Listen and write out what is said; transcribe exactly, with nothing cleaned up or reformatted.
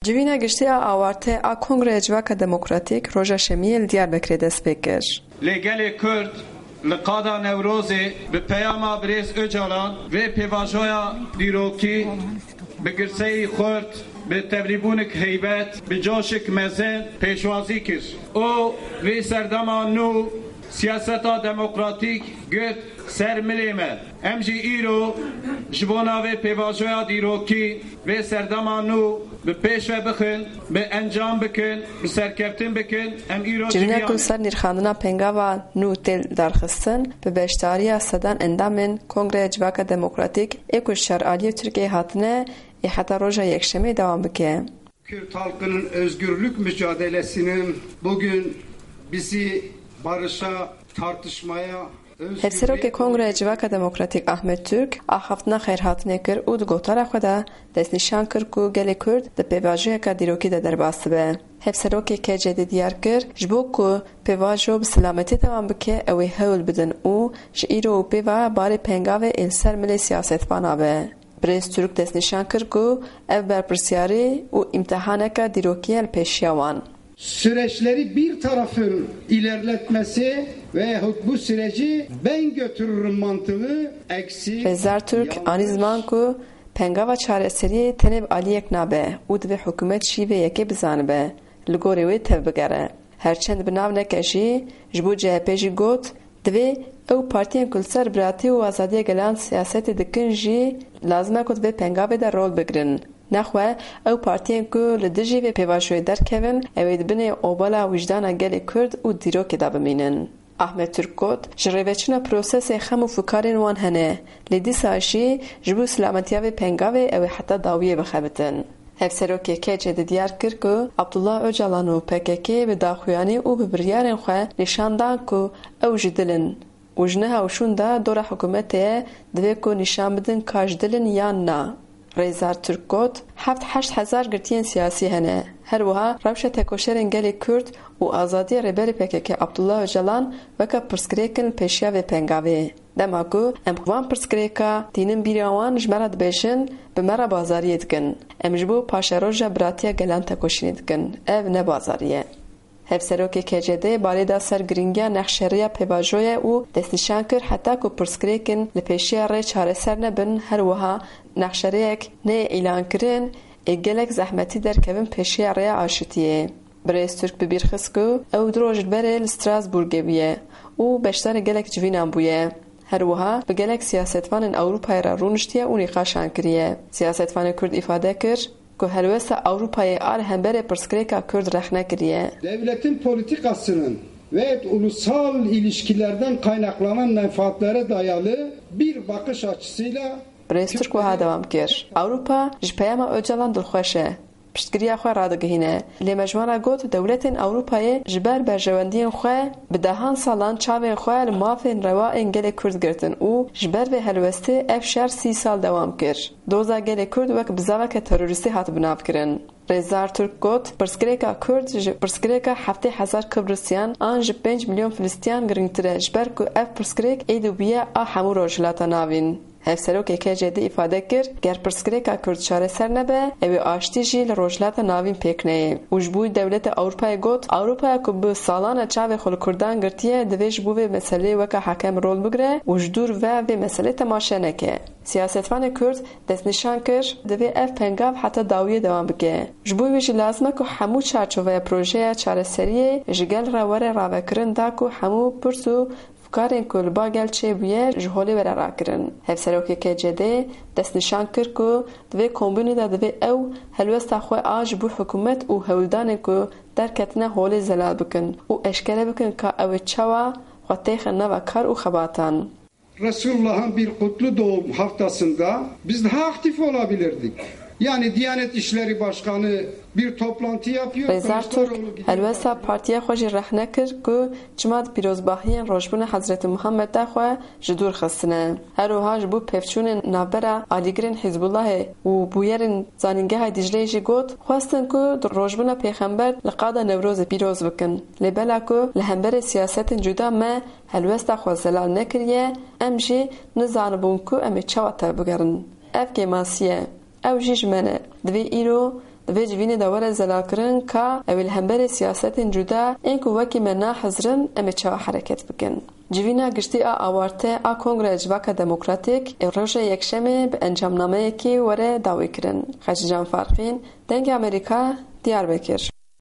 Civîna giştî a awarte a Kongreya Civaka Demokratîk roja Şemiyê li Diyarbekirê dest pê kir. Lê gelê Kurd li qada Newrozê bi peyama birêz Ocalan vê pêvajoya dîrokî bi girseyî xurt, bi tevlîbûnik heybet, bi coşik mezin pêşwazî kir. Û vê serdema nû siyaseta demokratîk girt ser milê me. Em jî îro ji bona vê pêvajoya dîrokî, vê serdema nû bi pêş ve bixin, bi encam bikin, bi serkeftin bikin. Em îro Civîna civî ku li ser nirxandina pengava nû tê darxistin, bi beşdariya sedan endamên Kongreya Civaka Demokratîk ê ku ji çar aliyê Tirkiyeyê hatine, ê heta roja Yekşemê dewam bike. Kürt halkının özgürlük mücadelesinin bugün bizi barışa, tartışmaya, Hevserokê Kongreya Civaka Demokratîk Ahmet Türk axaftina xêrhatinê kir û di gotara xwe de destnîşan kir ku gelê Kurd di pêvajoyeka dîrokî de derbas dibe. Hevserokê K C D diyar kir, ji bo ku pêvajo bi selametî dewam bike, ew ê hewl bidin û ji îro û pê ve barê pengavê ê li ser milê siyasetvanan be. Birêz Türk destnîşan kir ku ev berpirsyarî û îmtihaneke dîrokî ye li pêşiya wan. Süreçleri bir tarafın ilerletmesi veyahut bu süreci ben götürürüm mantığı eksik, Rêzdar Türk yanlış. Anî ziman ku pengava çareseriyê tenê bi aliyek nabe û divê hikûmet jî vê yekê bizanibe, li gorî wê tevbigere. Her çend bi nav neke jî, ji bo C H P jî got, divê ew partiyên ku li ser biratî û azadiya gelan siyasetê dikin jî lazim e ku di vê pengavê de rol bigrin. Nexwe ew partiyên ku li dijî vê pêvajoyê derkevin, ew ê di binê obala wijdana gelê Kurd û dîrokê de bimînin. Ahmet Türk got, ji rêveçûna prosesê xem û fikarên wan hene, lê dîsa jî ji bo silametiya vê pengavê ew ê heta dawiyê bixebitin. Hevserokê K C D diyar kir ku Abdullah Ocalan û P K K bi daxuyanî û bi biryarên xwe nîşan dan ku ew ji dil in û ji niha û şûnda dora hikûmetê ye, divê ku nîşan bidin ka ji dil in yan na. Rêzdar Türk got, heft heşt hezar girtiyên siyasî hene. Her wiha rewşa tekoşerên gelê Kurd û azadiya rêberê P K K Abdullah Ocalan weke pirsgirêk in li pêşiya vê pengavê. Dema ku em van pirsgirêka tînin bîra wan ji me re dibêjin, bi me re bazariyê dikin. Em ji bo paşeroja biratiya gelan tekoşînê dikin. Ev ne bazarî ye. Hevserokê K C D balê da ser giringiya nexşerêya pêvajoyê û destnîşan kir heta ku pirsgirêkên li pêşiya rê çareser nebin, her wiha nexşerêyek neyê îlankirin ê gelek zehmetî derkevin pêşiya rêya aşitiyê. Birêz Türk bi bîr xist ku ew du roj li berê li Strasbourgê bûye û beşdarê gelek civînan bûye. Her wiha bi gelek siyasetvanên Ewropayê re rûniştiye û nîqaşan kiriye. Siyasetvanê Kurd îfade kir ku helwesta Ewropayê a li hemberê pirsgirêka Kurd rexne kiriye. Devletin politikasının ve ulusal ilişkilerden kaynaklanan menfaatlere dayalı bir bakış açısıyla Birêz Türk wiha dewam kir, Ewropa ji peyama Ocalan dilxweş e. Piştgiriya xwe radigihîne. Lê me ji wan re got, dewletên Ewropayê ji ber berjewendiyên xwe bi dehan salan çavên xwe li mafên rewa ên gelê Kurd girtin û ji ber vê helwestê ev şer sî sal dewam kir. Doza gelê Kurd wek bizaveke terorîstî hat binavkirin. Rêzdar Türk got, pirsgirêka Kurd ji pirsgirêka heftê hezar Kibrisyan an ji pênc milyon Filistîyan girîngtir e, ji ber ku ev pirsgirêk êdî bûye a hemû Rojhilata Navîn. Hevserokê K C D îfade kir, ger pirsgirêka Kurd çareser nebe, ew ê aştî jî li Rojhilata Navîn pêk neyê. Û ji bo dewleta Ewropayê got, Ewropaya ku bi salan e çavê xwe li Kurdan girtiye, divê ji bo vê meseleyê weke hekem rol bigire û ji dûr ve vê meselê temaşe neke. Siyasetvanê Kurd destnîşan kir, divê ev pengav heta dawiyê dewam bike. Ji bo wî jî lazim e ku hemû çarçoveya projeya çareseriyê ji gel re were ravekirin da ku hemû pirs û fikarên ku li ba gel çêbûye ji holê were rakirin. Hevserokê K C D destnîşan kir ku di vê kombûnê de divê ew helwesta xwe a ji bo hikûmet û hewldanên ku derketine holê zelal bikin û eşkere bikin ka ew ê çawa xwe têxin nava kar û xebatan. Resulullah'ın bir kutlu doğum haftasında biz daha aktif olabilirdik. Yani Diyanet İşleri Başkanı bir toplantı yapıyor. Rêzdar Türk helwesta partiya xwe jî rexne kir ku çima di pîrozbahiyên rojbûna Hezretî Muhammed de xwe ji dûr xistine. Her wiha ji bo pevçûnên navbera alîgirên Hizbullahê û bûyerên Zanîngeha Dîcleyê jî got, xwestin ku di rojbûna Pêxember li qada Newrozê pîroz bikin. Lê bela ku li hemberê siyasetên cuda me helwesta xwe zelal nekiriye, em jî nizanibûn ku em ê çawa tevbigerin. Ev kêmasî ye. Ew jî ji me ne. Divê îro di vê civînê de were zelalkirin ka ew ê li hemberî siyasetên cuda ên ku wekî me nahizirin em ê çawa hereket bikin. Civîna giştî a awarte a Kongreya Civaka Demokratîk ê roja Yekşemê bi encamnameyekê were dawîkirin. Xecîcan Farqîn, Dengê Amerîka, Diyarbekir.